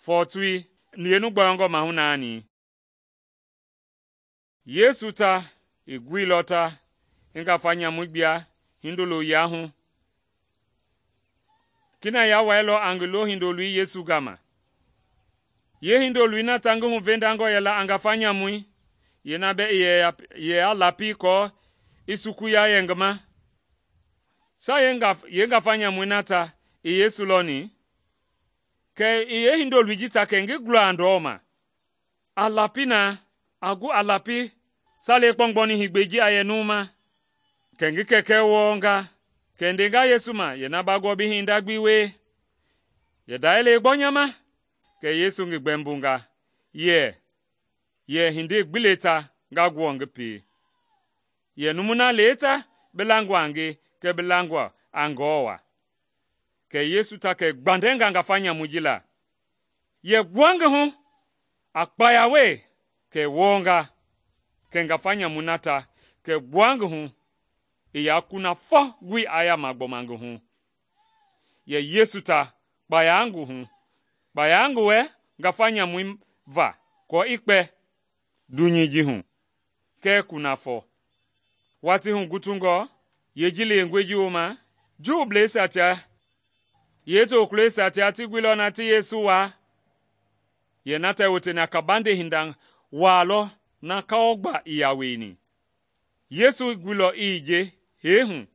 fɔɔtui yeenu gbɔyɔngɔ mahu naani. Yesu ta i guilɔ ta i ngafa nyamui gbia hindolo yia hu. Kina ya wailɔ a ngi lohindoloi Yesu gama. Yeehindoloi na ta ngi huvendangɔ yɛla a ngafa nyamui, yeena bɛɛ i yɛ ya lapi kɔɔ i sukuya yɛ ngi ma. Sa yeengafa nyamui na ta i Yesu lɔni, kɛ i yeehindoloi ji ta kɛ ngi gula a ndɔma. A lapi na, a gu a lapi salei kpɔgbɔni heegbei ji a yɛ numu ma. Kɛ ngi kɛkɛ wɔɔnga, kɛ ndenga Yesu ma yɛ na ba gbɔ bi hinda gbi wie. Yɛ ndayɛlei gbɔ nya ma? Kɛ Yesu ngi gbɛmbonga yɛ hindei gbi le ta nga guɔ ngi pie. Yɛ numui na le ta bi langɔ a nge kɛɛ bi langɔ a Ngewɔ wa. Kɛ Yesu ta kɛ gbandɛnga ngafa nyamui ji la, yɛ gbua ngi hu a kpaya wee kɛ wɔɔnga. Kɛ ngafa nyamui na ta kɛ gbua ngi hu i ya kunafɔ gbi a yaama gbɔma ngi hu. Yɛ Yesu ta kpaya ngi hu, kpaya ngi wɛ ngafa nyamui va kɔɔ i kpɛ dunyei ji hu kɛɛ kunafɔ. Watii hu gutungɔ, yeeji lewengɔe ji wooma, Juubleisia tia yeetokulɔisia tia ti guilɔ na ti Yesu waa. Yɛ na tɛ woteni a kabande hinda waa lɔ na kawɔgba i yaa wieni. Yesu guilɔ i je hee hu.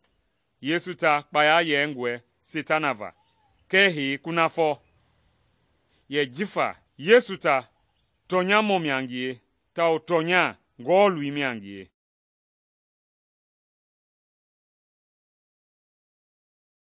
Yesu ta kpaya yɛngɔe Setana va kɛɛ hee kunafɔ. Yɛ jifa Yesu ta tɔnyamɔ mia ngie tawao tɔnya Ngewɔ loi mia ngie.